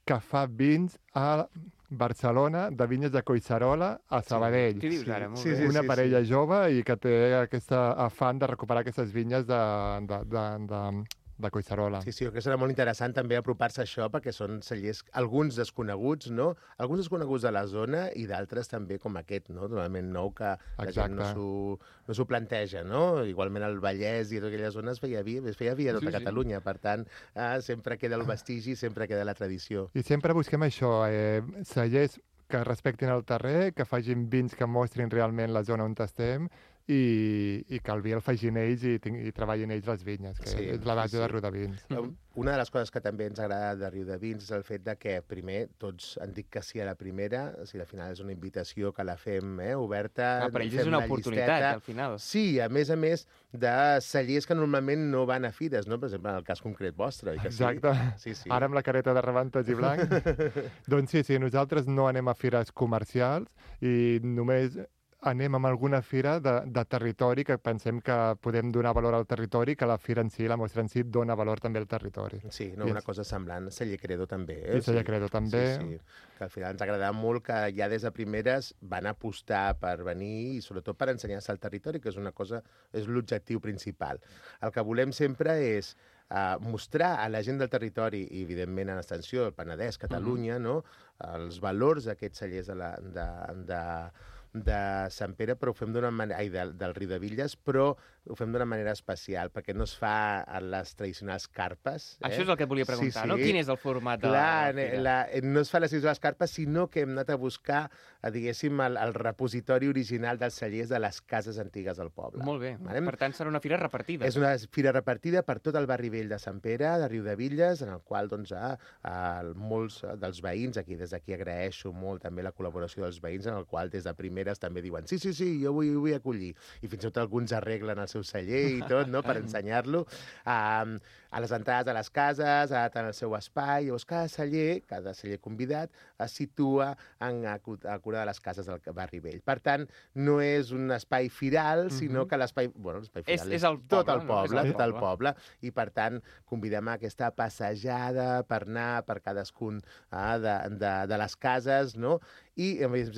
que fa vins a Barcelona, de vinyes de Collserola a Sabadell. Què dius ara? Una parella jove i que té aquesta afant de recuperar aquestes vinyes de Collserola. Sí, jo crec que serà molt interessant també apropar-se a això, perquè són cellers, alguns desconeguts, no? Alguns desconeguts de la zona i d'altres també com aquest, no? Totalment nou, que la gent no s'ho planteja, no? Igualment el Vallès i tota aquella zona es feia vi a tota Catalunya, per tant, sempre queda el vestigi, sempre queda la tradició. I sempre busquem això, cellers que respectin el terrer, que facin vins que mostrin realment la zona on estem i que el vi el facin ells i treballin ells les vinyes, que és la base de Riudavins. Una de les coses que també ens agrada de Riudavins és el fet de que, primer, tots han dit que sí a la primera, o sigui, al final és una invitació que la fem oberta. Per ells és una oportunitat, al final. Sí, a més de cellers que normalment no van a fires, no? Per exemple, en el cas concret vostre. Que exacte. Sí, ara amb la careta de rebentos i blanc. Doncs sí, nosaltres no anem a fires comercials i només anem a alguna fira de territori que pensem que podem donar valor al territori, que la fira en si, la mostra en si, dona valor també al territori. Sí, una cosa semblant. Celler Credo també. I Celler Credo també. Sí. Que al final ens ha agradat molt que ja des de primeres van apostar per venir i sobretot per ensenyar-se al territori, que és l'objectiu principal. El que volem sempre és mostrar a la gent del territori i, evidentment, en extensió, el Penedès, Catalunya, no? Els valors d'aquests cellers de Sant Pere, però ho fem d'una manera, del Riudebitlles, però ho fem d'una manera especial, perquè no es fa a les tradicionals carpes. Això és el que et volia preguntar, no? Quin és el format de la fira? No es fa a les tradicionals carpes, sinó que hem anat a buscar, diguéssim, el repositori original dels cellers de les cases antigues del poble. Molt bé. Per tant, serà una fira repartida. És una fira repartida per tot el barri vell de Sant Pere, de Riudebitlles, en el qual molts dels veïns, des d'aquí agraeixo molt també la col·laboració dels veïns, en el qual des de primeres també diuen sí, jo vull acollir. I fins i tot alguns arreglen el seu celler i tot, no?, per ensenyar-lo. A les entrades de les cases, tant el seu espai, llavors cada celler convidat es situa a cura de les cases del barri vell. Per tant, no és un espai firal, sinó que l'espai firal és tot el poble, i per tant convidem a aquesta passejada per anar per cadascun de les cases, no?, i, a més,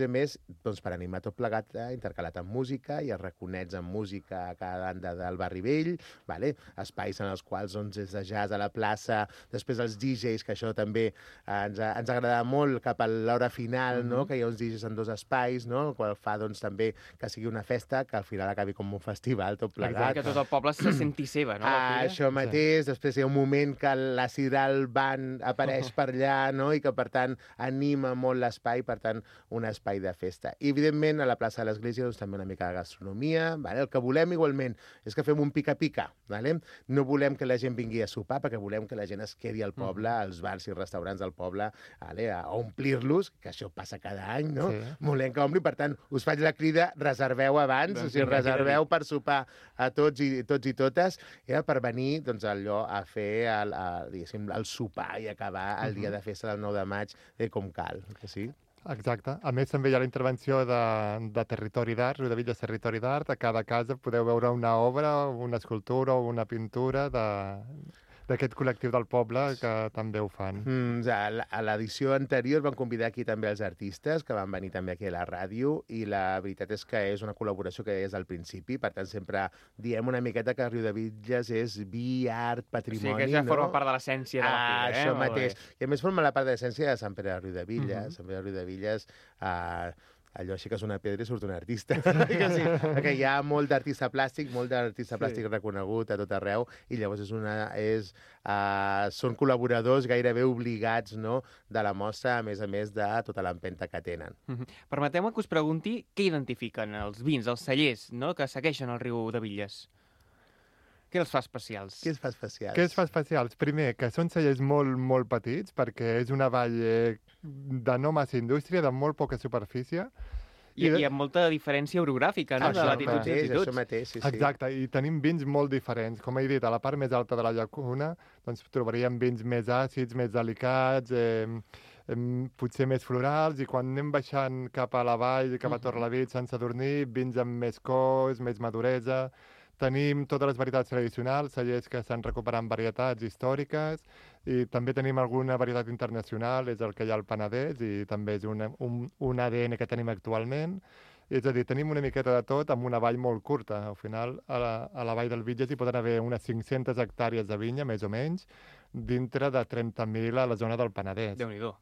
per animar tot plegat, intercalat amb música, i es reconeix amb música a cada banda del barri vell, espais en els quals és de jazz a la plaça, després els DJs, que això també ens agrada molt cap a l'hora final, que hi ha uns DJs en dos espais, el qual fa també que sigui una festa, que al final acabi com un festival tot plegat. Que tot el poble se senti seva, no? Això mateix, després hi ha un moment que la Sidral Band apareix per allà, i que per tant anima molt l'espai, per tant un espai de festa. I, evidentment, a la plaça de l'Església també una mica de gastronomia. El que volem, igualment, és que fem un pica-pica. No volem que la gent vingui a sopar, perquè volem que la gent es quedi al poble, als bars i restaurants del poble, a omplir-los, que això passa cada any, no? Volem que ompli, per tant, us faig la crida, reserveu abans, o sigui, reserveu per sopar a tots i totes, per venir allò a fer el sopar i acabar el dia de festa del 9 de maig com cal, que sí? Exacte. A més, també hi ha la intervenció de Territori d'Art, Riudebitlles Territori d'Art. A cada casa podeu veure una obra, una escultura o una pintura d'aquest col·lectiu del poble que també ho fan. A l'edició anterior vam convidar aquí també els artistes, que van venir també aquí a la ràdio, i la veritat és que és una col·laboració que és al principi, per tant sempre diem una miqueta que Riudebitlles és vi, art, patrimoni, no? Sí, que ja forma part de l'essència de la fira. Això mateix. I a més forma la part de l'essència de Sant Pere de Riudebitlles. Sant Pere de Riudebitlles, allò aixeques una pedra i surt un artista. Perquè hi ha molt d'artista plàstic, reconegut a tot arreu, i llavors són col·laboradors gairebé obligats, no?, de la mostra, a més de tota l'empenta que tenen. Permeteu-me que us pregunti què identifiquen els vins, els cellers, no?, que segueixen el Riudebitlles. Què els fa especials? Què els fa especials? Primer, que són cellers molt, molt petits, perquè és una vall de no massa indústria, de molt poca superfície. I amb molta diferència orogràfica, no?, de latituds i altituds. Això mateix, sí. Exacte, i tenim vins molt diferents. Com he dit, a la part més alta de la llacuna trobaríem vins més àcids, més delicats, potser més florals, i quan anem baixant cap a la vall, cap a Torrelavit, Sant Sadurní, vins amb més cos, més maduresa. Tenim totes les varietats tradicionals, cellers que estan recuperant varietats històriques, i també tenim alguna varietat internacional, és el que hi ha al Penedès, i també és un ADN que tenim actualment. És a dir, tenim una miqueta de tot amb una vall molt curta. Al final, a la vall del Bitlles hi poden haver unes 500 hectàrees de vinya, més o menys, dintre de 30.000 a la zona del Penedès. Déu-n'hi-do.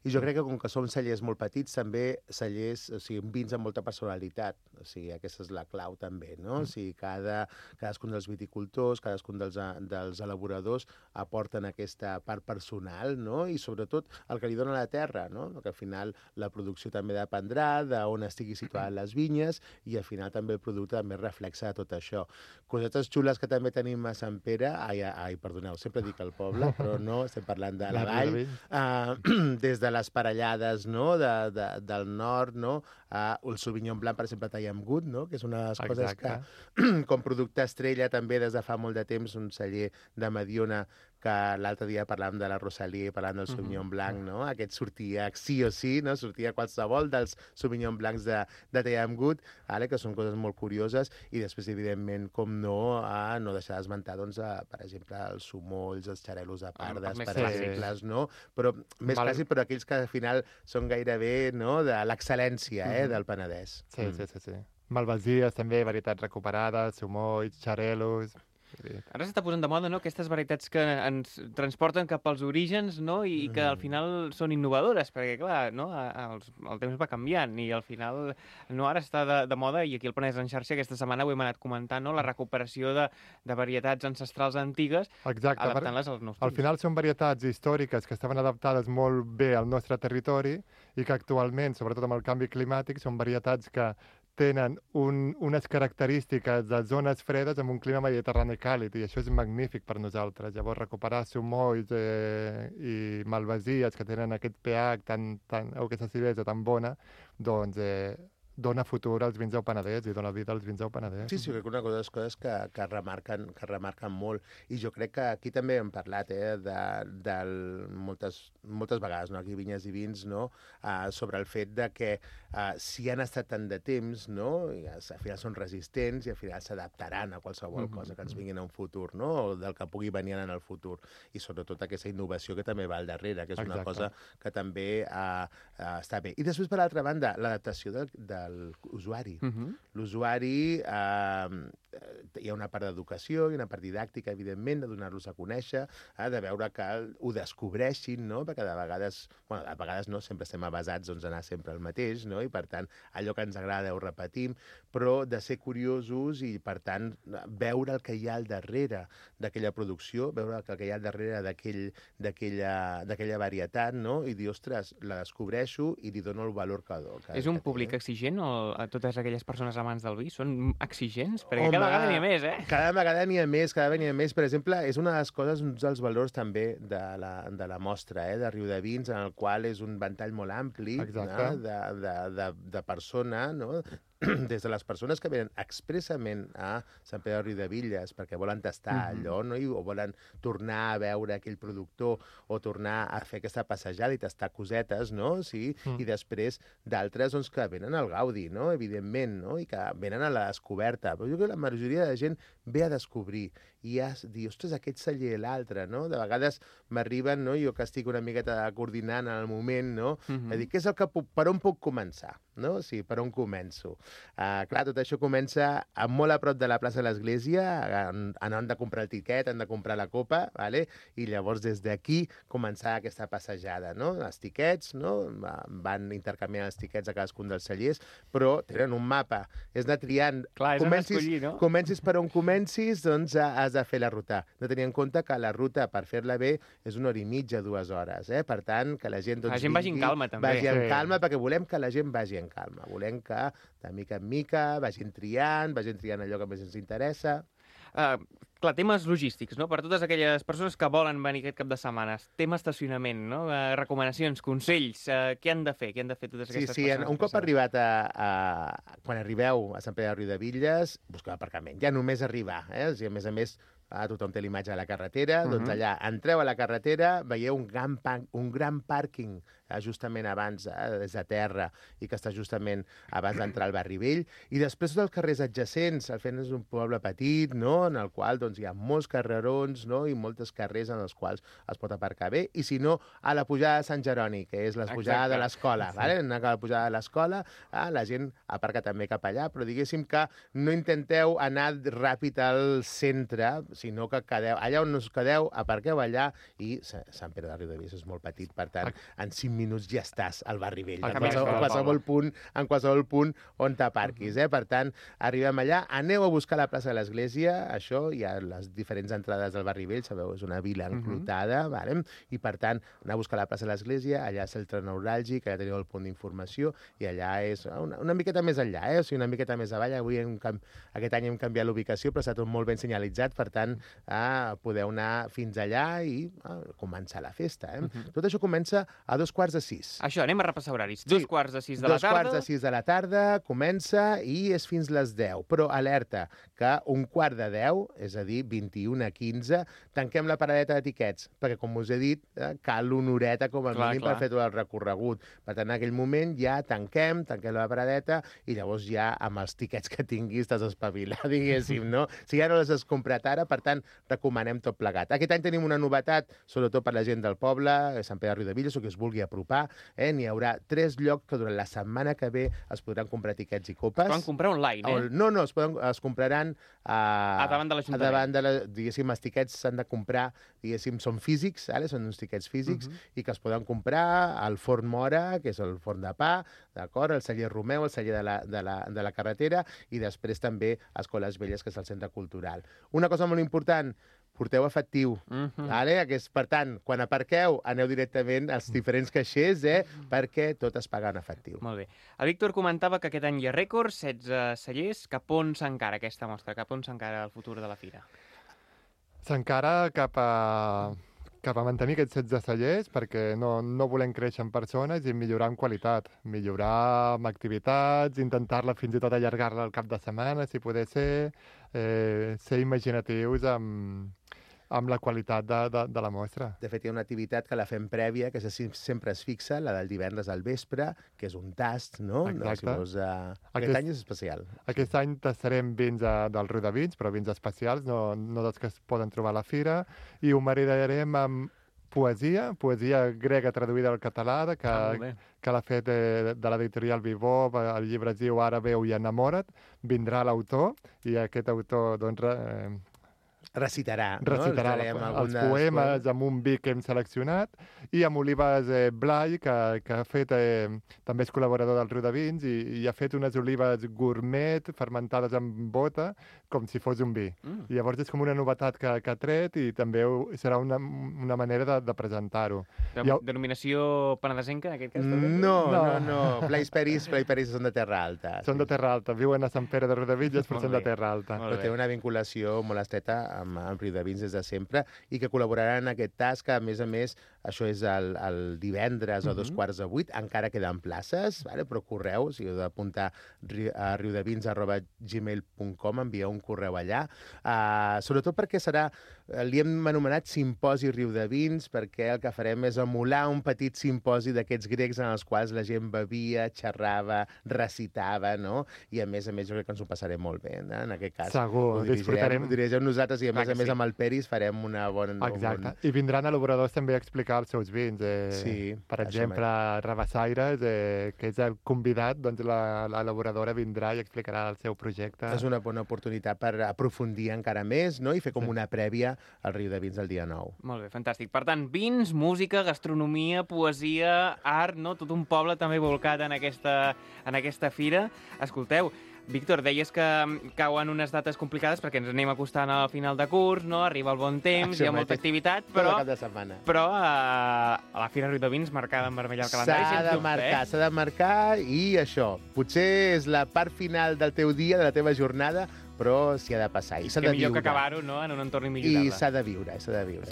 I jo crec que com que som cellers molt petits, també cellers, o sigui, vins amb molta personalitat. O sigui, aquesta és la clau també, no? O sigui, cadascun dels viticultors, cadascun dels elaboradors aporten aquesta part personal, no? I sobretot el que li dona la terra, no? Que al final la producció també dependrà d'on estigui situades les vinyes i al final també el producte també reflexa de tot això. Cosetes xules que també tenim a Sant Pere, perdoneu, sempre dic el poble, però no, estem parlant de la vall, des de les parellades, no? Del nord, no? El Sauvignon Blanc, per exemple, Tallamgut, no? Que és una de les coses que, com producte estrella, també des de fa molt de temps, un celler de Mediona, que l'altre dia parlàvem de la Rosalie, parlant del Sauvignon Blanc, no? Aquest sortia sí o sí, no? Sortia qualsevol dels Sauvignon Blancs de Tallamgut, que són coses molt curioses, i després, evidentment, com no, no deixar d'esmentar, doncs, per exemple, els sumolls, els xarelos de pardes, per exemples, no? Però més clàssics, però aquells que al final són gairebé, no?, de l'excel·lència, del Penedès. Sí. Malvasies, també, varietats recuperades, sumolls, xarelos... Ara s'està posant de moda, no?, aquestes varietats que ens transporten cap als orígens, no?, i que al final són innovadores, perquè, clar, no?, el temps va canviant i al final, no, ara està de moda, i aquí al Penedès en xarxa aquesta setmana ho hem anat comentant, no?, la recuperació de varietats ancestrals antigues, adaptant-les als nous temps. Al final són varietats històriques que estaven adaptades molt bé al nostre territori i que actualment, sobretot amb el canvi climàtic, són varietats que tenen unes característiques de zones fredes amb un clima mediterrani càlid, i això és magnífic per nosaltres. Llavors, recuperar sumolls i malvasies que tenen aquest pH o aquesta acidesa tan bona, doncs dona futur als vins del Penedès i dona vida als vins del Penedès. Sí, crec que una de les coses que remarquen molt. I jo crec que aquí també hem parlat moltes vegades, no? Aquí Vinyes i Vins, no? Sobre el fet de que si han estat tant de temps, no? I al final són resistents i al final s'adaptaran a qualsevol cosa que ens vinguin en un futur, no? O del que pugui venir en el futur. I sobretot aquesta innovació que també va al darrere, que és una cosa que també està bé. I després, per l'altra banda, l'adaptació de l'usuari. L'usuari, hi ha una part d'educació, hi ha una part didàctica, evidentment, de donar-los a conèixer, de veure que ho descobreixin, no? Perquè de vegades no, sempre estem avasats a anar sempre al mateix, no? I per tant, allò que ens agrada ho repetim, però de ser curiosos i, per tant, veure el que hi ha al darrere d'aquella producció, veure el que hi ha al darrere d'aquella varietat, no? I dir, ostres, la descobreixo i li dono el valor que És un públic exigent o totes aquelles persones amants del vi són exigents? Perquè cada vegada n'hi ha més, Cada vegada n'hi ha més. Per exemple, és una de les coses, un dels valors també de la mostra, de Riudavins, en el qual és un ventall molt ampli de persona, no? Des de les persones que venen expressament a Sant Pere de Riudebitlles perquè volen tastar allò, no? O volen tornar a veure aquell productor o tornar a fer aquesta passejada i tastar cosetes, no? Sí? I després d'altres doncs, que venen al gaudi, no? Evidentment, no? I que venen a la descoberta. Però jo crec que la majoria de gent ve a descobrir i a dir, ostres, aquest celler i l'altre, no? De vegades m'arriben, no? Jo que estic una miqueta coordinant en el moment, no? A dir, què és el que per on puc començar? No? Sí, per on començo? Clar, tot això comença molt a prop de la plaça de l'Església, han de comprar el tiquet, han de comprar la copa, vale? I llavors des d'aquí començar aquesta passejada, no? Els tiquets, no? Van intercanviant els tiquets a cadascun dels cellers, però tenen un mapa. És anar triant. Clar, és anar escollir, no? Comencis per on comencis, doncs has de fer la ruta. No tenir en compte que la ruta, per fer-la bé, és 1 hora i mitja, 2 hores. Per tant, que la gent... La gent vagi en calma, també. Vagi en calma, perquè volem que la gent vagi en calma. Volem que, de mica en mica, vagin triant allò que més ens interessa. Clar, temes logístics, no? Per totes aquelles persones que volen venir aquest cap de setmana. Tema estacionament, no? Recomanacions, consells, què han de fer? Què han de fer totes aquestes persones? Un cop arribat quan arribeu a Sant Pere de Riudebitlles, busqueu aparcament. Ja només arribar, O sigui, a més, tothom té l'imatge de la carretera, doncs allà entreu a la carretera, veieu un gran pàrquing justament abans, des de terra, i que està justament abans d'entrar al barri vell, i després tots els carrers adjacents. El Fent és un poble petit, no?, en el qual doncs, hi ha molts carrerons, no?, i moltes carrers en els quals es pot aparcar bé, i si no, a la pujada de Sant Jeroni, que és la pujada de l'escola, vale? A la pujada de l'escola, la gent aparca també cap allà, però diguéssim que no intenteu anar ràpid al centre, sinó que quedeu, allà on us quedeu, aparqueu allà i Sant Pere de Riudebitlles és molt petit, per tant, en 5 minuts ja estàs al barri vell, en qualsevol punt on t'aparquis. Per tant, arribem allà, aneu a buscar la plaça de l'Església, això, hi ha les diferents entrades del barri vell, sabeu, és una vila enclotada, i per tant, aneu a buscar la plaça de l'Església, allà és el centre neuràlgic, allà teniu el punt d'informació, i allà és una miqueta més enllà, o sigui, una miqueta més avall. Avui aquest any hem canviat l'ubicació, però està tot molt ben senyalitzat, per tant, podeu anar fins allà i començar la festa. Tot això comença a 5:45. Això, anem a repassar horaris. 5:45 de la tarda. 5:45 de la tarda comença i és fins les 10. Però alerta, que 11:45, és a dir, 21:15, tanquem la paradeta d'etiquets, perquè, com us he dit, cal una horeta com a mínim per fer tot el recorregut. Per tant, en aquell moment ja tanquem la paradeta i llavors ja amb els tiquets que tinguis t'has d'espavilar, diguéssim, no? Si ja no les has comprat ara, per tant, recomanem tot plegat. Aquest any tenim una novetat, sobretot per la gent del poble, Sant Pere de Riudebitlles, o que es vulgui apropar. N'hi haurà 3 llocs que durant la setmana que ve es podran comprar tiquets i copes. Es poden comprar online, No, es compraran davant de l'Ajuntament. Diguéssim, els tiquets s'han de comprar, diguéssim, són físics, són uns tiquets físics, i que es poden comprar al Forn Mora, que és el forn de pa, d'acord, el celler Romeu, el celler de la carretera, i després també a Escoles Velles, que és el centre cultural. Una cosa molt important, porteu efectiu. Per tant, quan aparqueu, aneu directament als diferents caixers, perquè tot es paga en efectiu. Molt bé. El Víctor comentava que aquest any hi ha rècords, 16 cellers. Cap on s'encara aquesta mostra? Cap on s'encara el futur de la fira? S'encara cap a mantenir aquests 16 cellers, perquè no volem créixer en persones i millorar en qualitat. Millorar amb activitats, intentar-la fins i tot allargar-la al cap de setmana, si poder ser imaginatius amb la qualitat de la mostra. De fet, hi ha una activitat que la fem prèvia, que sempre es fixa, la del divendres al vespre, que és un tast, no? Exacte. Aquest any és especial. Aquest any tastarem vins del Riudevins, però vins especials, no dels que es poden trobar a la fira, i ho maridarem amb poesia grega traduïda al català, que l'ha fet de l'editorial Vivó, el llibre es diu Ara veu i enamora't, vindrà l'autor, i aquest autor, doncs, recitarà els poemes amb un vi que hem seleccionat, i amb Olives Blai, que ha fet, també és col·laborador del Riudevins, i ha fet unes olives gourmet fermentades amb bota, com si fos un vi. I llavors és com una novetat que ha tret, i també serà una manera de presentar-ho. Denominació penedesenca, en aquest cas? No. Blais Peris són de Terra Alta. Són de Terra Alta, viuen a Sant Pere de Riudebitlles, però són de Terra Alta. Però té una vinculació molt estreta amb Riudevins des de sempre, i que col·laboraran en aquest tas, que a més, això és el divendres a 7:45, encara queden places, però correu, si heu d'apuntar a riudevins@gmail.com, envieu un correu allà, sobretot perquè li hem anomenat Simposi Riudevins, perquè el que farem és emular un petit simposi d'aquests grecs en els quals la gent bevia, xerrava, recitava, no? I a més jo crec que ens ho passarem molt bé, en aquest cas. Segur, disfrutarem. Ho dirigem nosaltres, i a més amb el Peris farem una bona... Exacte, i vindran elaboradors també a explicar els seus vins. Per exemple, Rabassaires, que és el convidat, doncs l'elaboradora vindrà i explicarà el seu projecte. És una bona oportunitat per aprofundir encara més, no? I fer com una prèvia al Riudevins del dia 9. Molt bé, fantàstic. Per tant, vins, música, gastronomia, poesia, art, no? Tot un poble també volcat en aquesta fira. Escolteu, Víctor, deies que cauen unes dates complicades perquè ens anem acostant al final de curs, no? Arriba el bon temps, hi ha molta activitat, però a la Fira Riudevins marcada en vermell al calendari. S'ha de marcar, i això, potser és la part final del teu dia, de la teva jornada, però s'hi ha de passar. I s'ha de viure. Millor que acabar-ho, no?, en un entorn immillorable. I s'ha de viure.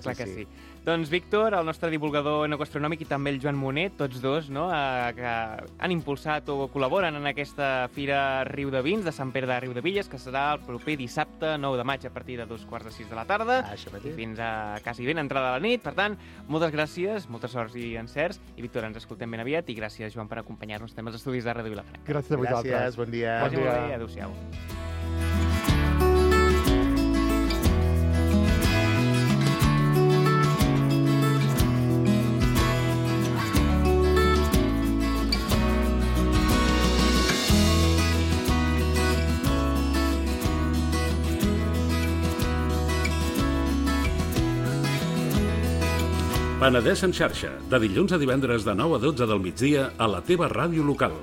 Clar que sí. Doncs Víctor, el nostre divulgador enogasronòmic, i també el Joan Monet, tots dos, no?, que han impulsat o col·laboren en aquesta Fira Riudevins de Sant Pere de Riudebitlles, que serà el proper dissabte 9 de maig a partir de 5:45 de la tarda i fins a quasi ben entrada a la nit. Per tant, moltes gràcies, moltes sorts i encerts, i Víctor, ens escoltem ben aviat, i gràcies, Joan, per acompanyar-nos també als estudis de Ràdio Vilafranca. Gràcies a vosaltres. Gràcies, bon dia. Bon dia. Adéu-siau. Penedès en xarxa, de dilluns a divendres de 9 a 12 del migdia a la teva ràdio local.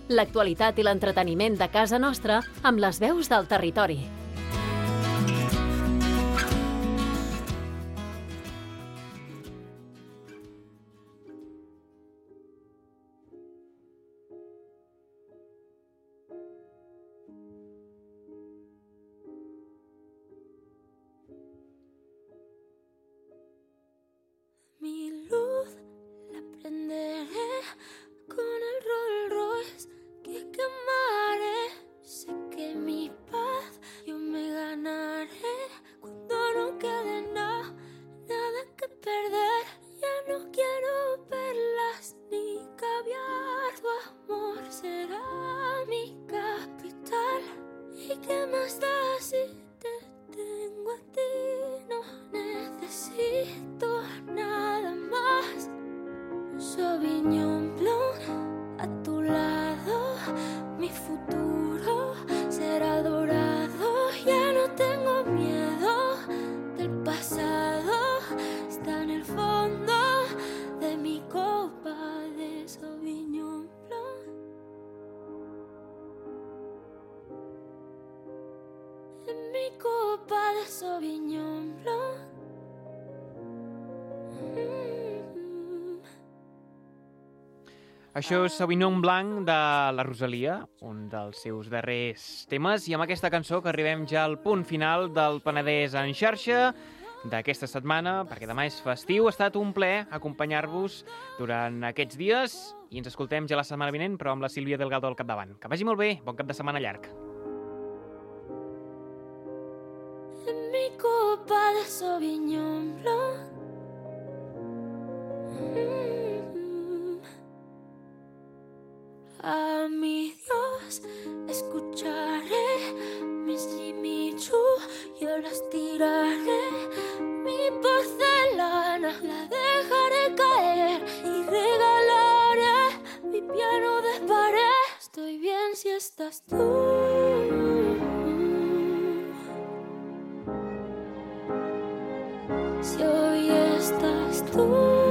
L'actualitat i l'entreteniment de casa nostra amb les veus del territori. Mi luz la prenderé con el Rolls Royce que quemaré. Sé que mi paz yo me ganaré cuando no quede nada que perder. Ya no quiero perlas ni caviar. Tu amor será mi capital. ¿Y qué más da si te tengo a ti? No necesito nada más. Sauvignon Blanc a tu lado, mi futuro será dorado. Ya no tengo miedo del pasado, está en el fondo de mi copa de Sauvignon Blanc. En mi copa de Sauvignon Blanc. Això és Sauvignon Blanc de la Rosalia, un dels seus darrers temes, i amb aquesta cançó que arribem ja al punt final del Penedès en xarxa d'aquesta setmana, perquè demà és festiu. Ha estat un plaer acompanyar-vos durant aquests dies i ens escoltem ja la setmana vinent, però amb la Sílvia Delgado al capdavant. Que vagi molt bé, bon cap de setmana llarg. En mi copa de Sauvignon Blanc. A mi Dios escucharé mis Jimmy Choo, yo las tiraré. Mi porcelana la dejaré caer y regalaré mi piano de pared. Estoy bien si estás tú. Si hoy estás tú.